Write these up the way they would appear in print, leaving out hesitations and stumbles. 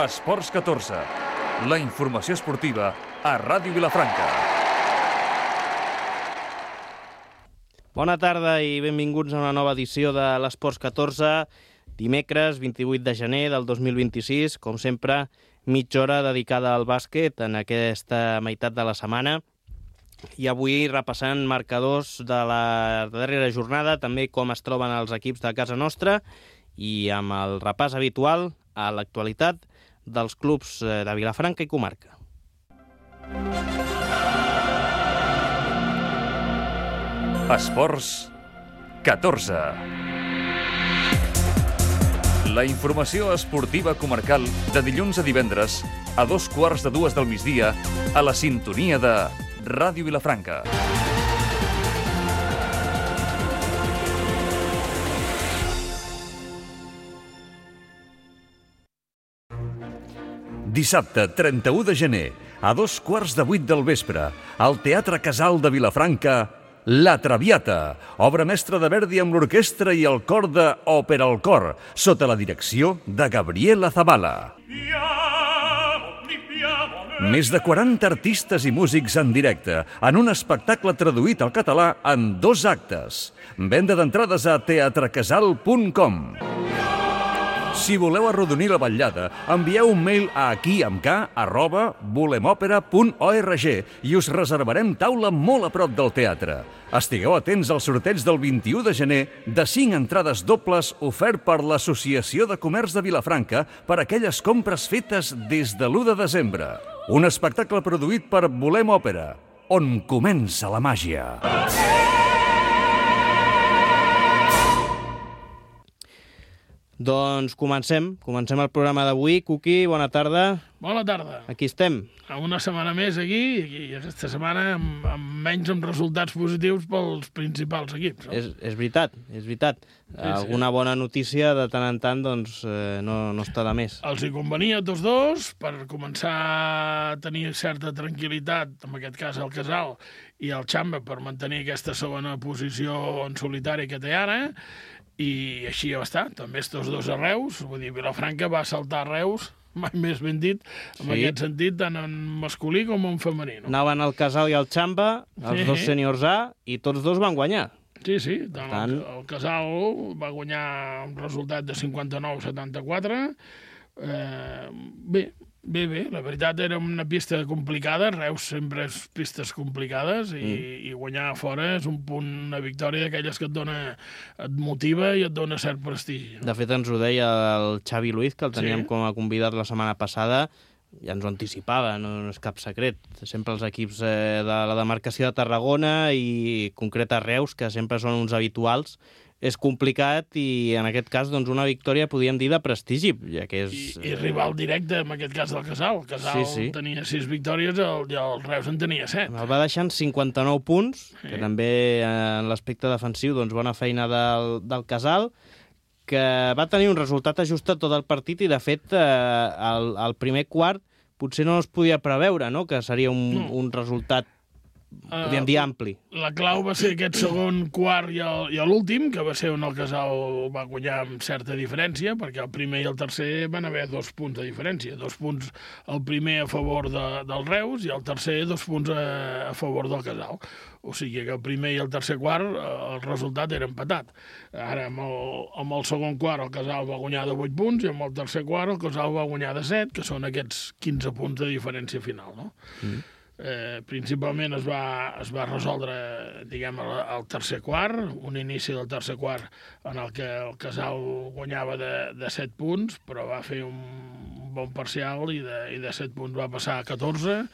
Esports 14, la informació esportiva a Ràdio Vilafranca. Bona tarda i benvinguts a una nova edició de l'Esports 14, dimecres 28 de gener del 2026, com sempre, mitja hora dedicada al bàsquet en aquesta meitat de la setmana. I avui repassant marcadors de la darrera jornada, també com es troben els equips de casa nostra i amb el repàs habitual a l'actualitat dels clubs de Vilafranca i comarca. Esports 14. La informació esportiva comarcal de dilluns a divendres a 2:15 del migdia a la sintonia de Ràdio Vilafranca. Dissabte, 31 de gener, a 7:15 del vespre, al Teatre Casal de Vilafranca, La Traviata, obra mestra de Verdi amb l'orquestra i el cor de Òpera al Cor, sota la direcció de Gabriela Zabala. Més de 40 artistes i músics en directe, en un espectacle traduït al català en 2 actes. Venda d'entrades a teatrecasal.com. Si voleu arrodonir la vetllada, envieu un mail a aquiamk@volemopera.org i us reservarem taula molt a prop del teatre. Estigueu atents al sorteig del 21 de gener de 5 entrades dobles ofert per l'Associació de Comerç de Vilafranca per aquelles compres fetes des de l'1 de desembre. Un espectacle produït per Volem Òpera, on comença la màgia. Doncs comencem el programa d'avui. Cuqui, bona tarda. Bona tarda. Aquí estem. Una setmana més aquí, i aquesta setmana amb resultats positius pels principals equips. No? És veritat. Sí. Alguna bona notícia de tant en tant doncs, no està de més. Els hi convenia a tots dos per començar a tenir certa tranquil·litat, en aquest cas el Casal i el Xamba, per mantenir aquesta segona posició en solitari que té ara, i així ja va estar. També tots dos a Reus, vull dir, Vilafranca va saltar a Reus, mai més ben dit, en aquest sentit, tant en masculí com en femení. No? Anaven al Casal i al Xamba, els dos sèniors A, i tots dos van guanyar. Sí, el Casal va guanyar un resultat de 59-74. Bé, la veritat era una pista complicada, Reus sempre és pistes complicades i guanyar fora és un punt, una victòria d'aquelles que et motiva i et dona cert prestigi. No? De fet, ens ho deia el Xavi Luiz, que el teníem com a convidat la setmana passada, ja ens ho anticipava, no és cap secret. Sempre els equips de la demarcació de Tarragona i concreta Reus, que sempre són uns habituals, és complicat i, en aquest cas, doncs, una victòria, podríem dir, de prestigi, ja que és... I rival directe, en aquest cas, del Casal. El Casal tenia 6 victòries i el Reus en tenia 7. El va deixar en 59 punts, que també, en l'aspecte defensiu, doncs, bona feina del Casal, que va tenir un resultat ajustat tot el partit i, de fet, el primer quart potser no es podia preveure, no?, que seria un resultat, podríem dir, ampli. La clau va ser aquest segon quart i l'últim, que va ser on el Casal va guanyar amb certa diferència, perquè el primer i el tercer van haver 2 punts de diferència. 2 punts el primer a favor del Reus i el tercer 2 punts a favor del Casal. O sigui que el primer i el tercer quart el resultat era empatat. Ara, amb el segon quart, el Casal va guanyar de 8 punts i amb el tercer quart el Casal va guanyar de 7, que són aquests 15 punts de diferència final, no? Principalment es va resoldre, diguem, el tercer quart, un inici del tercer quart en el que el Casal guanyava de 7 punts, però va fer un bon parcial i de 7 punts va passar a 14,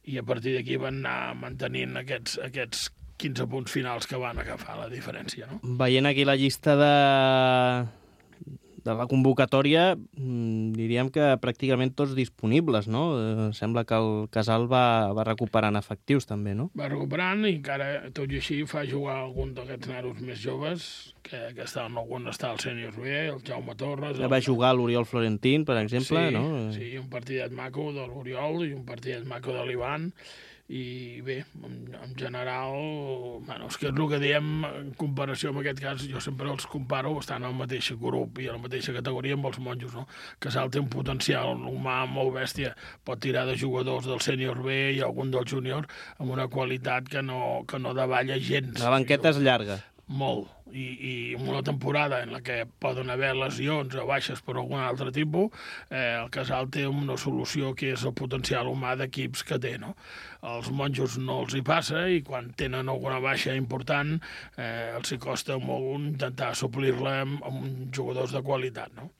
i a partir d'aquí van anar mantenint aquests 15 punts finals que van agafar la diferència. No? Veient aquí la llista de la convocatòria, diríem que pràcticament tots disponibles, no? Sembla que el Casal va recuperant efectius, també, no? Va recuperant i encara, tot i així, fa jugar algun d'aquests nanos més joves, que estaven, algun està el sènior B, el Jaume Torres... Va jugar l'Oriol Florentín, per exemple, no? Sí, un partidet maco de l'Oriol i un partidet maco de l'Ivan, i bé, en general, bueno, és que és el que diem en comparació amb aquest cas, jo sempre els comparo, estan al mateix grup i a la mateixa categoria amb els monjos, no? Casal té un potencial humà molt bèstia, pot tirar de jugadors del sènior B i algun del júnior amb una qualitat que no davalla gens. La banqueta és llarga. Molt, i en una temporada en la que poden haver lesions o baixes per algun altre tipus, el Casal té una solució que és el potencial humà d'equips que té, no? Els monjos no els hi passa i quan tenen alguna baixa important els hi costa molt intentar suplir-la amb jugadors de qualitat, no?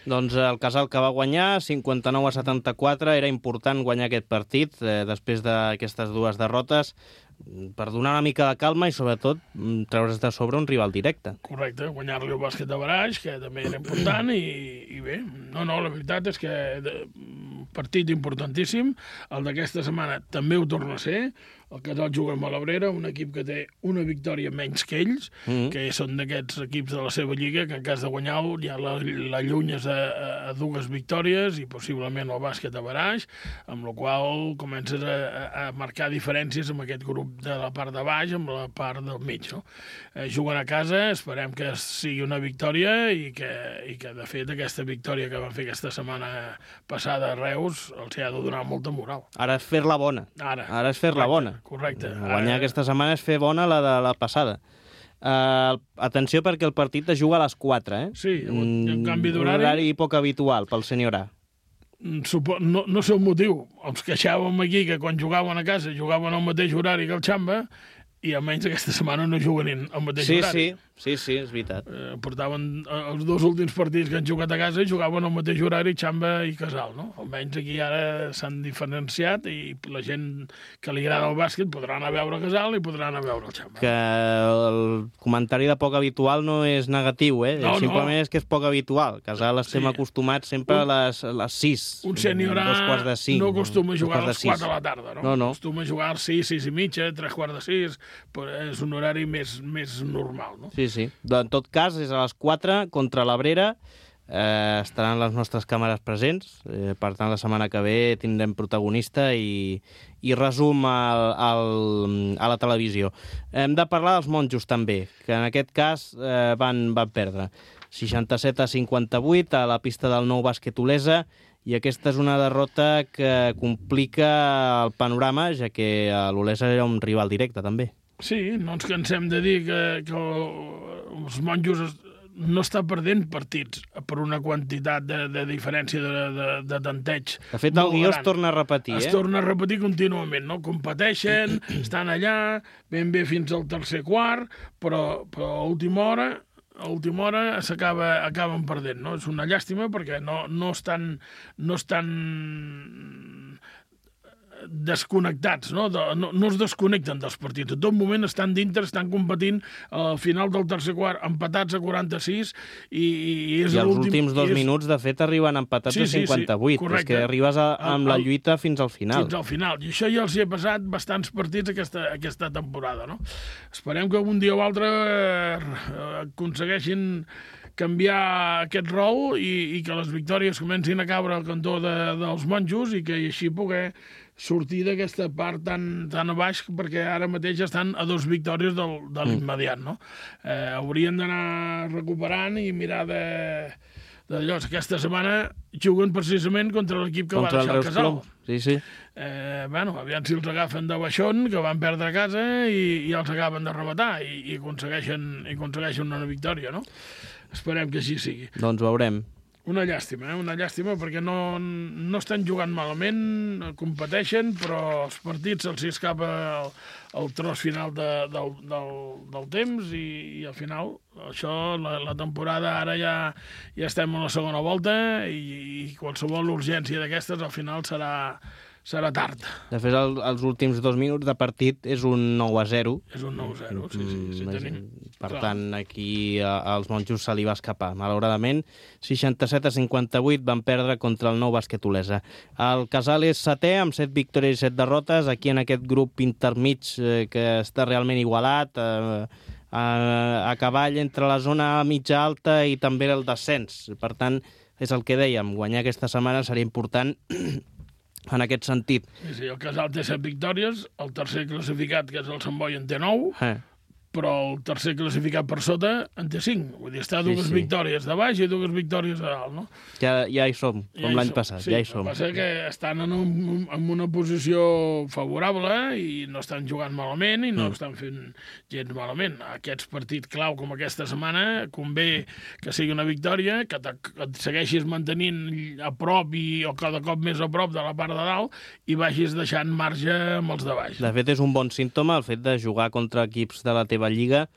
Doncs el Casal que va guanyar, 59-74, era important guanyar aquest partit després d'aquestes dues derrotes per donar una mica de calma i, sobretot, treure's de sobre un rival directe. Correcte, guanyar-li el bàsquet de Baraix, que també era important, i bé, la veritat és que partit importantíssim, el d'aquesta setmana també ho torna a ser, el Casal juga amb l'Abrera, un equip que té una victòria menys que ells, que són d'aquests equips de la seva lliga, que en cas de guanyar-lo ja l'allunyes a dues victòries i possiblement el bàsquet a Baraix, amb la qual comences a marcar diferències amb aquest grup de la part de baix amb la part del mig, no? Juguen a casa, esperem que sigui una victòria i que de fet aquesta victòria que van fer aquesta setmana passada a Reus els ha de donar molta moral. Ara és fer-la bona. Ara és fer-la bona. Correcte. Guanyar aquesta setmana és fer bona la de la passada. Atenció perquè el partit es juga a les 4, eh? Sí, en canvi d'horari... Un horari poc habitual pel sènior A. No sé el motiu. Ens queixàvem aquí que quan jugaven a casa jugaven al mateix horari que el Xamba i almenys aquesta setmana no juguen al mateix horari. Sí, és veritat. Portaven els dos últims partits que han jugat a casa i jugaven al mateix horari Xamba i Casal, no? Almenys aquí ara s'han diferenciat i la gent que li agrada el bàsquet podrà anar a veure Casal i podrà anar a veure el Xamba. Que el comentari de poc habitual no és negatiu, eh? No, simplement és que és poc habitual. Casal estem acostumats sempre a les 6. Un sènior A no acostuma a jugar a les 4 de la tarda, no? No. Acostuma a jugar a les 6, 6 i mitja, 3:15, però és un horari més normal, no? Sí. En tot cas, és a les 4 contra l'Abrera. Estaran les nostres càmeres presents. Per tant, la setmana que ve tindrem protagonista i resum a la televisió. Hem de parlar dels monjos, també, que en aquest cas van perdre. 67-58 a la pista del Nou Bàsquet Olesa, i aquesta és una derrota que complica el panorama, ja que l'Olesa era un rival directe, també. Sí, no ens cansem de dir que els monjos no està perdent partits per una quantitat de diferència de tanteig. De fet, el guió es torna a repetir, Es torna a repetir contínuament, no? Competeixen, estan allà, ben bé fins al tercer quart, però a última hora acaben perdent, no? És una llàstima perquè no estan desconnectats, no es desconnecten dels partits. A tot moment estan dintre, estan competint al final del tercer quart, empatats a 46 i és els últims 2 minuts, de fet, arriben empatats a 58. Correcte. És que arribes amb la lluita fins al final. Fins al final. I això ja els hi ha passat bastants partits aquesta temporada, no? Esperem que algun dia o altre aconsegueixin canviar aquest rol i que les victòries comencin a caure al cantó dels monjos i que així poder sortir d'aquesta part tan a baix, perquè ara mateix estan a 2 victòries de l'immediat, no? Haurien d'anar recuperant i mirar d'allò. Aquesta setmana juguen precisament contra l'equip que va deixar el Casal. Sí. Aviam si els agafen de baixón, que van perdre a casa i els acaben de rematar i aconsegueixen una victòria, no? Esperem que així sigui. Doncs veurem. Una llàstima perquè no estan jugant malament, competeixen, però els partits se'ls escapa el tros final del temps i al final això, la temporada ara ja estem en la segona volta i qualsevol urgència d'aquestes al final serà tard. De fet, els últims 2 minuts de partit és un 9-0. És un 9-0, sí. Per tant, aquí als monjos se li va escapar. Malauradament, 67-58 van perdre contra el Nou Bàsquet Olesa. El Casal és 7è, amb 7 victòries i 7 derrotes, aquí en aquest grup intermig que està realment igualat, a cavall entre la zona mitja alta i també el descens. Per tant, és el que dèiem, guanyar aquesta setmana seria important en aquest sentit. Sí, el Casal té 7 victòries, el tercer classificat, que és el Sant Boi, en té 9, però el tercer classificat per sota en té 5. Vull dir, està dues victòries de baix i dues victòries a dalt, no? Ja hi som, com l'any passat, ja hi som. El que passa que estan en una posició favorable i no estan jugant malament i no estan fent gens malament. Aquests partits clau com aquesta setmana convé que sigui una victòria, que et segueixis mantenint a prop o cada cop més a prop de la part de dalt i vagis deixant marge amb els de baix. De fet, és un bon símptoma el fet de jugar contra equips de la teva lliga,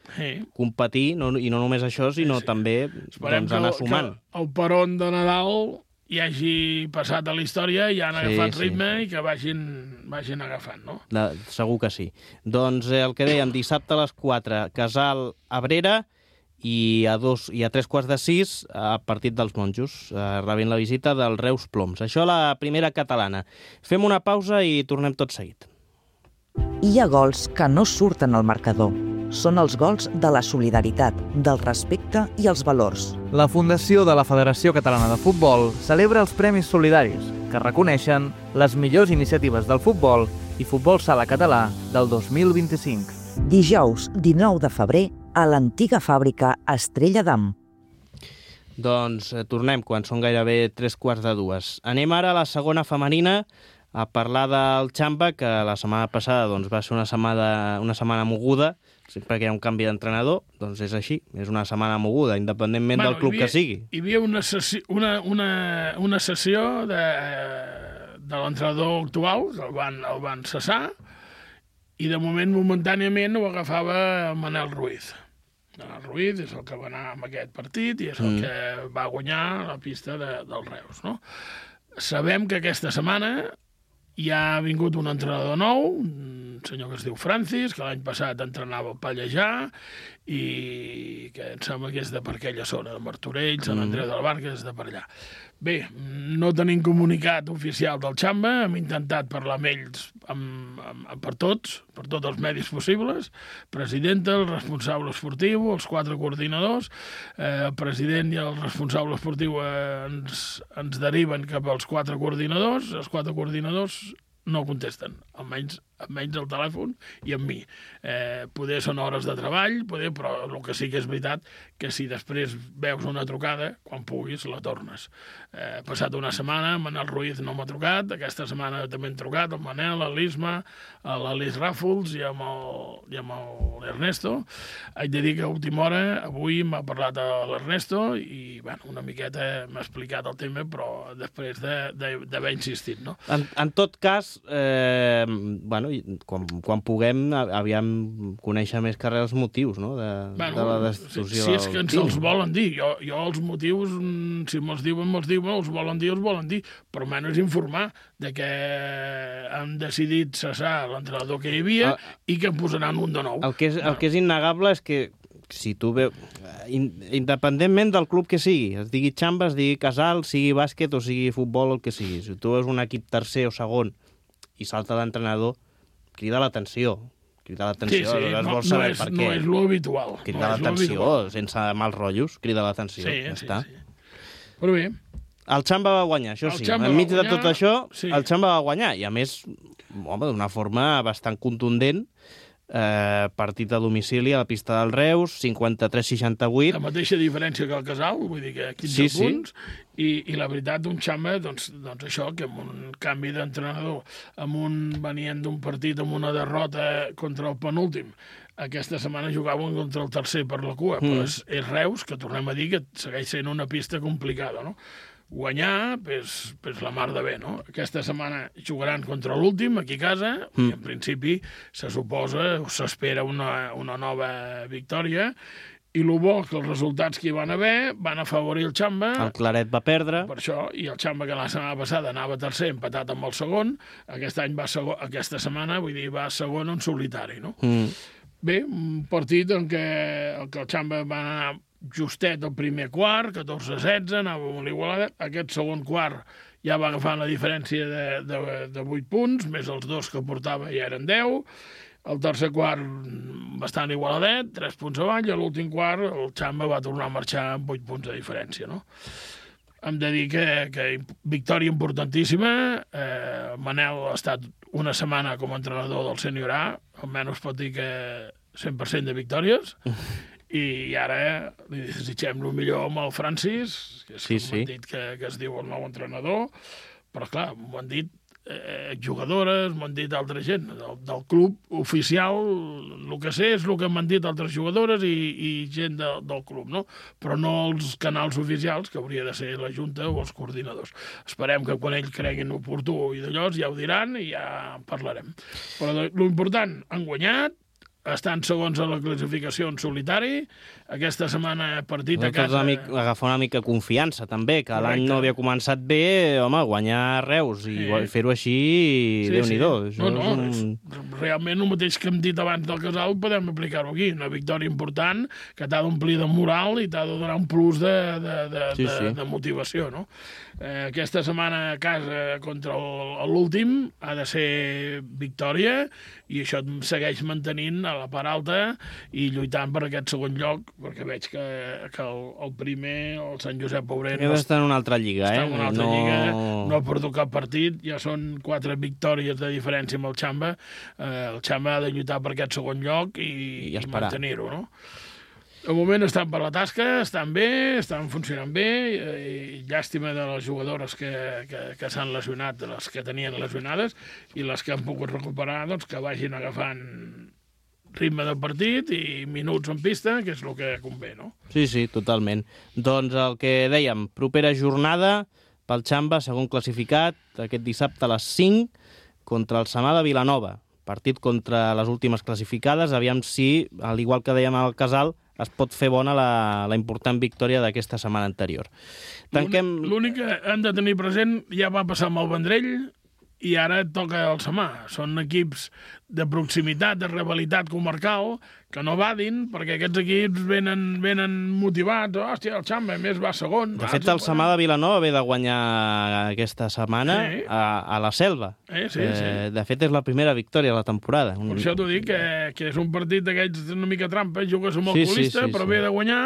competir, i no només això, sinó també anar sumant. Que el peron de Nadal hi hagi passat a la història i han agafat ritme i que vagin agafant, no? Segur que sí. Doncs el que dèiem, dissabte a les 4, Casal Abrera, i a 3:15 a partit dels monjos, rebent la visita del Reus Ploms. Això la primera catalana. Fem una pausa i tornem tot seguit. Hi ha gols que no surten al marcador. Són els gols de la solidaritat, del respecte i els valors. La Fundació de la Federació Catalana de Futbol celebra els Premis Solidaris, que reconeixen les millors iniciatives del futbol i futbol sala català del 2025. Dijous 19 de febrer a l'antiga fàbrica Estrella d'Am. Doncs tornem quan són gairebé 3:15. Anem ara a la segona femenina a parlar del Xamba, que la setmana passada va ser una setmana moguda. Sempre que hi ha un canvi d'entrenador, doncs és així, és una setmana moguda, independentment del club que sigui. Hi havia una sessió de l'entrenador actual, el van cessar, i de moment, momentàniament, ho agafava Manel Ruiz. Manel Ruiz és el que va anar amb aquest partit i és el que va guanyar la pista del Reus, no? Sabem que aquesta setmana hi ha vingut un entrenador nou, un senyor que es diu Francis, que l'any passat entrenava al Pallejà i que em sembla que és de per aquella zona, de Martorell, Sant Andreu del Bar, que és de per allà. Bé, no tenim comunicat oficial del Xamba, hem intentat parlar amb ells per tots els medis possibles, presidenta, el responsable esportiu, els 4 coordinadors, el president i el responsable esportiu ens deriven cap als 4 coordinadors, els 4 coordinadors no contesten, almenys al telèfon i amb mi. Poder són hores de treball, però el que sí que és veritat que si després veus una trucada, quan puguis la tornes. Ha passat una setmana, Manel Ruiz no m'ha trucat, aquesta setmana també hem trucat, el Manel, l'Isma, l'Alice Ràfols i amb l'Ernesto. Haig de dir que a última hora, avui m'ha parlat l'Ernesto i una miqueta m'ha explicat el tema, però després d'haver insistit, no? En tot cas, quan puguem, aviam conèixer més que res els motius, no?, de la destitució. Si és que ens els volen dir. Jo els motius, si me'ls diuen, els volen dir, però almenys informar de que han decidit cessar l'entrenador que hi havia i que en posaran un de nou. El que és innegable és que si tu veus, independentment del club que sigui, es digui Xamba, es digui Casal, sigui bàsquet o sigui futbol, el que sigui, si tu veus un equip tercer o segon i salta l'entrenador, crida l'atenció. Vols saber per què. No és l'habitual. Crida l'atenció, sense mals rotllos, crida l'atenció. Sí. Però bé. El Xamba va guanyar, això sí. Enmig de tot això, el Xamba va guanyar. I a més, d'una forma bastant contundent, partit a domicili a la pista del Reus, 53-68. La mateixa diferència que el Casal, vull dir que 15 punts, i la veritat d'un Xamba, doncs això, que amb un canvi d'entrenador, venien d'un partit amb una derrota contra el penúltim, aquesta setmana jugaven contra el tercer per la cua, però és Reus, que tornem a dir que segueix sent una pista complicada, no? Guanyar, pues la mar de bé, no? Aquesta setmana jugaran contra l'últim, aquí a casa, i en principi se suposa, o s'espera una nova victòria, i el bo que els resultats que hi van haver van afavorir el Xamba. El Claret va perdre. Per això, i el Xamba, que la setmana passada anava tercer, empatat amb el segon, aquesta setmana, va segon en solitari, no? Bé, un partit en què el Xamba va anar justet el primer quart, 14-16, anava molt igualat. Aquest segon quart ja va agafar la diferència de 8 punts, més els 2 que portava ja eren 10. El tercer quart bastant igualadet, 3 punts avall, i a l'últim quart el Xamba va tornar a marxar amb 8 punts de diferència, no? hem de dir que victòria importantíssima. Manel ha estat una setmana com a entrenador del Sènior A, almenys pot dir que 100% de victòries, i ara li desitgem el millor amb el Francis, que és com han dit que es diu el nou entrenador, però clar, m'ho han dit jugadores, m'ho han dit altra gent del club oficial. El que sé és el que m'han dit altres jugadores i gent del club, no? Però no els canals oficials, que hauria de ser la Junta o els coordinadors. Esperem que quan ells creguin oportú i d'allò ja ho diran i ja parlarem. Però l'important, han guanyat, estan segons a la classificació en solitari. Aquesta setmana partit a casa... Agafar una mica confiança, també, que l'any no havia començat bé, home, guanyar a Reus i fer-ho així, Déu-n'hi-do. Realment el mateix que hem dit abans del Casal podem aplicar-ho aquí. Una victòria important que t'ha d'omplir de moral i t'ha de donar un plus de motivació, no? Aquesta setmana a casa contra l'últim ha de ser victòria i això et segueix mantenint a la part alta i lluitant per aquest segon lloc, perquè veig que el primer, el Sant Josep Obrero... Està en una altra lliga, Està en una altra lliga, no ha perdut cap partit, ja són 4 victòries de diferència amb el Xamba. El Xamba ha de lluitar per aquest segon lloc i mantenir-ho, no? De moment estan per la tasca, estan bé, estan funcionant bé, i llàstima de les jugadores que s'han lesionat, de les que tenien lesionades, i les que han pogut recuperar, doncs, que vagin agafant ritme de partit i minuts en pista, que és el que convé, no? Sí, totalment. Doncs el que dèiem, propera jornada pel Xamba, segon classificat, aquest dissabte a les 5, contra el Samà de Vilanova. Partit contra les últimes classificades, aviam si, al igual que dèiem al Casal, es pot fer bona la important victòria d'aquesta setmana anterior. L'únic que hem de tenir present ja va passar amb el Vendrell i ara toca el Samà. Són equips de proximitat, de rivalitat comarcal, que no vadin, perquè aquests equips venen motivats. Hòstia, el Xamba, a més, va segon. De fet, el Samà de Vilanova ve de guanyar aquesta setmana a la Selva. Sí. De fet, és la primera victòria de la temporada. Per això t'ho dic, que és un partit d'aquests una mica trampa, jugues amb el colista, però ve de guanyar,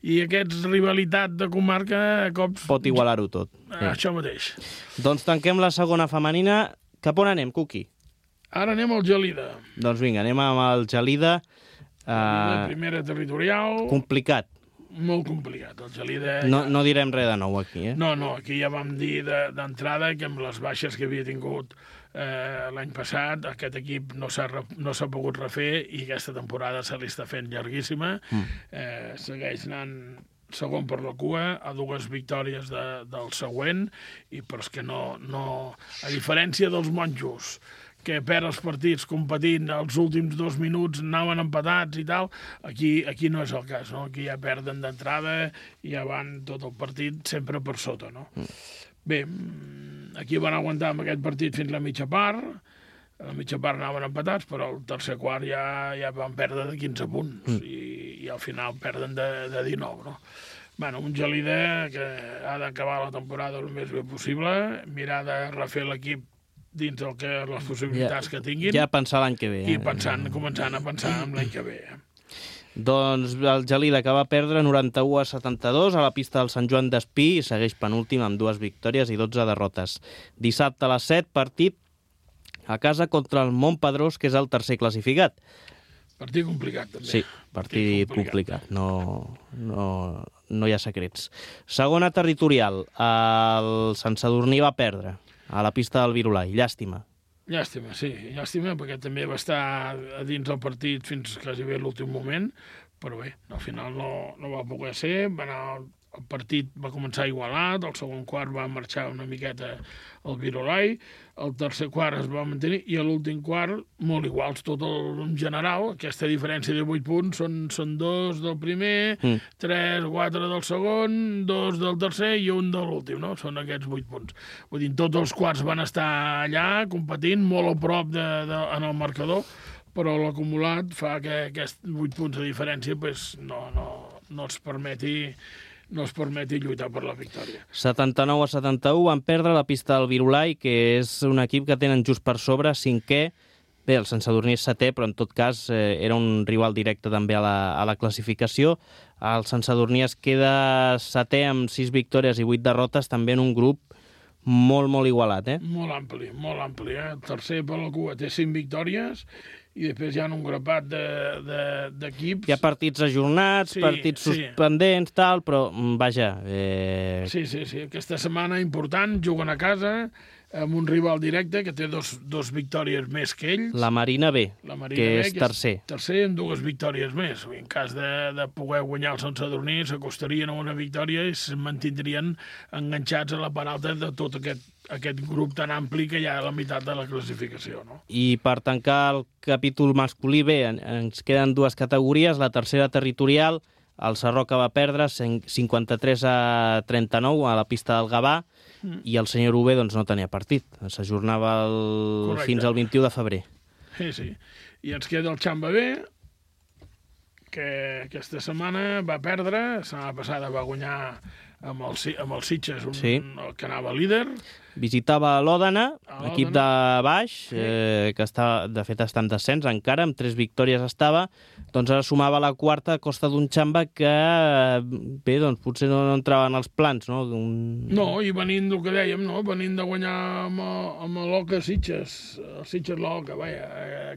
i aquests rivalitat de comarca a cops... Pot igualar-ho tot. Això mateix. Doncs tanquem la segona femenina. Cap on anem, Cuqui? Ara anem al Gelida. Doncs vinga, anem amb el Gelida. Primera territorial. Complicat. Molt complicat. El Gelida... No direm res de nou aquí, No, aquí ja vam dir d'entrada que amb les baixes que havia tingut l'any passat, aquest equip no s'ha pogut refer i aquesta temporada se li està fent llarguíssima. Segueix anant segon per la cua, a 2 victòries del següent, però és que no... A diferència dels monjos, que perd els partits competint els últims 2 minuts, anaven empatats i tal, aquí no és el cas, no? Aquí ja perden d'entrada i ja van tot el partit sempre per sota, no? Bé, aquí van aguantar amb aquest partit fins la mitja part, a la mitja part anaven empatats, però al tercer quart ja van perdre de 15 punts i al final perden de 19, no? Bueno, un Gelida que ha d'acabar la temporada el més bé possible, mirar de refer l'equip dins les possibilitats que tinguin. Ja pensar l'any que ve. I començant a pensar en l'any que ve. Doncs el Gelida, que va perdre 91-72 a la pista del Sant Joan d'Espí, i segueix penúltim amb 2 victòries i 12 derrotes. Dissabte a les 7, partit a casa contra el Montpedrós, que és el tercer classificat. Partit complicat, també. Sí, partit complicat. No hi ha secrets. Segona territorial, el Sant Sadurní va perdre a la pista del Virolai. Llàstima. Llàstima, sí. Llàstima, perquè també va estar a dins del partit fins quasi bé l'últim moment, però bé, al final no va poder ser. El partit va començar igualat, el segon quart va marxar una miqueta al Virolai, el tercer quart es va mantenir i l'últim quart molt iguals, tot en general. Aquesta diferència de 8 punts són 2 del primer, 3, 4 del segon, 2 del tercer i 1 de l'últim, no? Són aquests 8 punts. Vull dir, tots els quarts van estar allà competint molt a prop en el marcador, però l'acumulat fa que aquests 8 punts de diferència no es permeti lluitar per la victòria. 79-71 van perdre la pista del Virolai, que és un equip que tenen just per sobre, 5è, Bé, el Sant Sadurní és setè, però en tot cas era un rival directe també a la classificació. El Sant Sadurní es queda setè amb 6 victòries i 8 derrotes, també en un grup molt, molt igualat, Molt ampli, El tercer per la cua té 5 victòries i després hi ha un grapat d'equips. Hi ha partits ajornats, partits suspendents, tal, però vaja... Sí. Aquesta setmana important, juguen a casa amb un rival directe que té dos victòries més que ells. La Marina B, que és tercer. Tercer amb 2 victòries més. En cas de poder guanyar el Sant Sadurní, s'acostarien a una victòria i es mantindrien enganxats a la part alta de tot aquest grup tan ampli que hi ha a la meitat de la classificació. No? I per tancar el capítol masculí B, ens queden 2 categories. La tercera territorial, el Sarroca va perdre 53-39 a la pista del Gavà, i el senyor UB doncs, no tenia partit. S'ajornava fins al 21 de febrer. Sí. I ens queda el Xamba B, que aquesta setmana va perdre, la setmana passada va guanyar amb el Sitges, que anava líder. Visitava l'Òdena, equip de baix, que de fet està en descens encara, amb 3 victòries estava, doncs ara sumava la quarta a costa d'un Xamba que, bé, doncs potser no entrava en els plans, no? No, i venint del que dèiem, no? Venint de guanyar amb l'Oca Sitges, el Sitges l'Oca,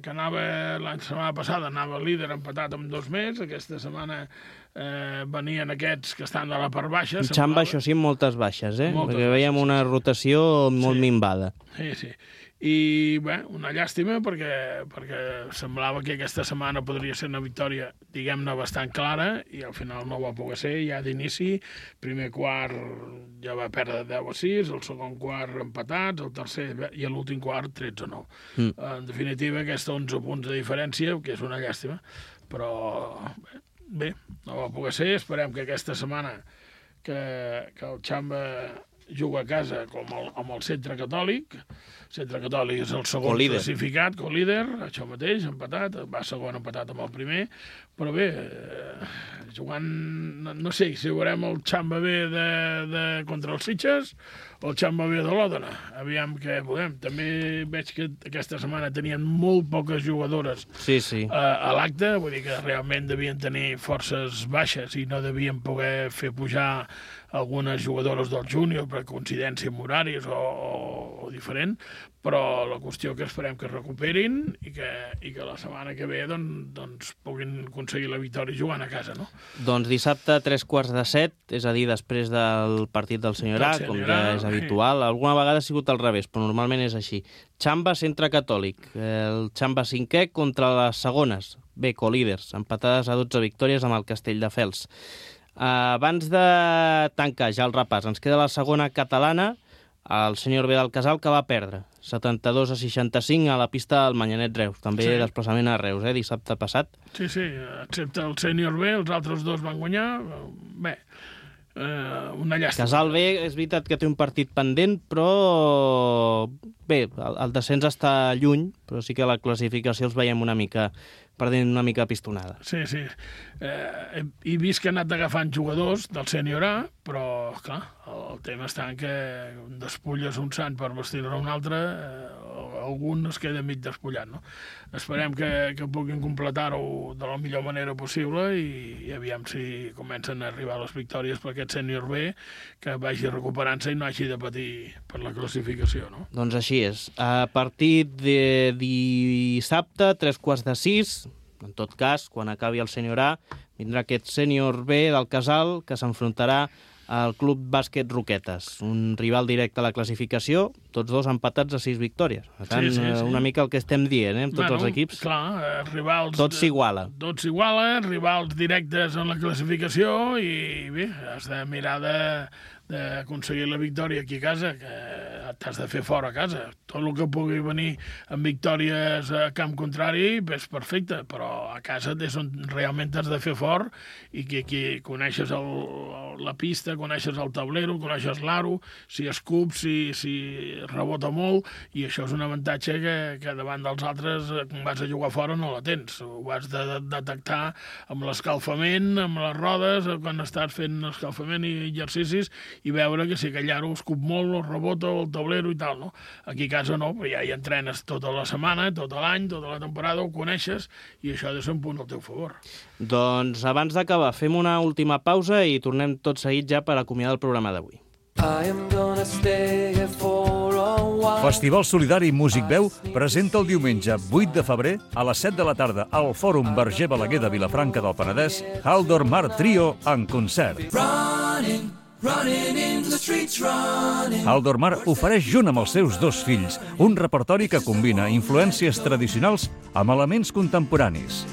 que anava la setmana passada, anava líder empatat amb 2 més, aquesta setmana venien aquests que estan de la part baixa. Xamba, això sí, amb moltes baixes, perquè veiem una rotació molt minvada. Sí. I, bé, una llàstima perquè semblava que aquesta setmana podria ser una victòria, diguem-ne, bastant clara, i al final no va poder ser, ja d'inici. Primer quart ja va perdre 10-6, el segon quart empatats, el tercer i l'últim quart 13-9. En definitiva, aquests 11 punts de diferència, que és una llàstima, però bé, no va poder ser. Esperem que aquesta setmana que el Xamba juga a casa amb el Centre Catòlic. El Centre Catòlic és el segon classificat, co-líder, això mateix, empatat, va segon empatat amb el primer, però bé, jugant, no sé si veurem el Xamba B contra els Sitges o el Xamba B de l'Òdena. Aviam què podem. També veig que aquesta setmana tenien molt poques jugadores a l'acte, vull dir que realment devien tenir forces baixes i no devien poder fer pujar algunes jugadores del júnior per coincidència amb horaris o diferent, però la qüestió que esperem que es recuperin i que la setmana que ve doncs puguin aconseguir la victòria jugant a casa, no? Doncs dissabte 3:45, és a dir, després del partit del Senyor A, com ja és habitual. Alguna vegada ha sigut al revés, però normalment és així. Xamba, Centre Catòlic. El Xamba 5è contra les segones. Bé, co-líders, empatades a 12 victòries amb el Castelldefels. Abans de tancar ja el repàs, ens queda la segona catalana, el senyor B del Casal, que va perdre 72-65 a la pista del Manyanet Reus, també desplaçament a Reus, dissabte passat. Sí, excepte el sènior B, els altres 2 van guanyar. Bé, una llàstima. Casal B és veritat que té un partit pendent, però bé, el descens està lluny, però sí que la classificació els veiem perdent una mica pistonada. Sí. He vist que han anat agafant jugadors del sènior A, però, clar, el tema està en que despulles un sant per vestir-ne un altre, algun es queda mig despullat, no? Esperem que puguin completar-ho de la millor manera possible i aviam si comencen a arribar les victòries per aquest sènior B, que vagi recuperant-se i no hagi de patir per la classificació, no? Doncs així és. A partir de dissabte, 3:45, en tot cas, quan acabi el sènior A, vindrà aquest sènior B del Casal que s'enfrontarà al Club Bàsquet Roquetes, un rival directe a la classificació, tots 2 empatats a 6 victòries. Per tant, una mica el que estem dient, amb tots els equips. Clar, rivals... Tot s'iguala. Tot s'iguala, rivals directes en la classificació i bé, has de mirar d'aconseguir la victòria aquí a casa, que t'has de fer fora a casa. Tot el que pugui venir amb victòries a camp contrari és perfecte, però a casa és on realment t'has de fer fort i que coneixes la pista, pista, coneixes el tablero, coneixes l'aro, si escup, si rebota molt, i això és un avantatge que davant dels altres, quan vas a jugar fora, no la tens. Ho has de detectar amb l'escalfament, amb les rodes, quan estàs fent escalfament i exercicis, i veure que si aquell aro escup molt, o rebota, o el tablero i tal, no? Aquí a casa no, però ja hi entrenes tota la setmana, tot l'any, tota la temporada, ho coneixes, i això ha de ser un punt al teu favor. Doncs abans d'acabar, fem una última pausa i tornem tot seguit ja per acomiadar el programa d'avui. Festival Solidari Músic Veu presenta el diumenge 8 de febrer a les 7 de la tarda al Fòrum Verger Balaguer de Vilafranca del Penedès Haldor Mar Trio en concert. Haldor Mar ofereix junt amb els seus 2 fills un repertori que combina influències tradicionals amb elements contemporanis.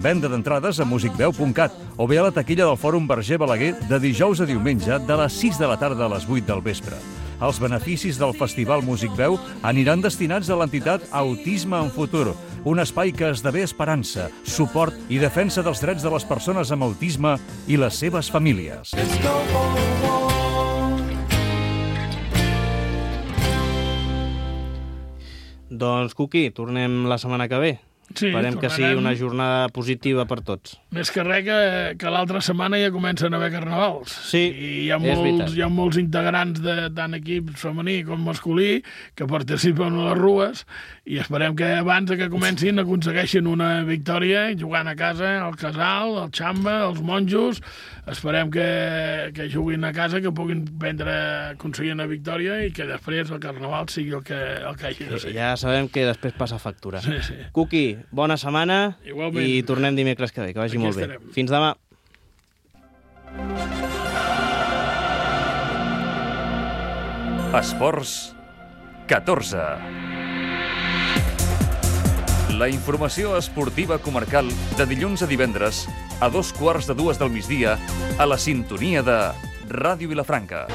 Venda d'entrades a musicveu.cat o bé a la taquilla del Fòrum Verger Balaguer de dijous a diumenge de les 6 de la tarda a les 8 del vespre. Els beneficis del Festival Músic Veu aniran destinats a l'entitat Autisme en Futur, un espai que esdevé esperança, suport i defensa dels drets de les persones amb autisme i les seves famílies. Doncs, Cuqui, tornem la setmana que ve. Sí, esperem que sigui una jornada positiva per tots. Més que res que l'altra setmana ja comencen a haver carnavals. Sí, I hi ha molts integrants de tant equip femení com masculí que participen a les rues i esperem que abans que comencin aconsegueixin una victòria jugant a casa, al Casal, al Xamba, als monjos. Esperem que juguin a casa, que puguin aconseguir una victòria i que després el carnaval sigui el que hagi de ser. Ja sabem que després passa factura. Sí. Cuqui, bona setmana. Igualment. I tornem dimecres que ve, que vagi Aquí molt estarem. bé. Fins demà. Esports 14. La informació esportiva comarcal de dilluns a divendres a 2:15 del migdia a la sintonia de Ràdio Vilafranca.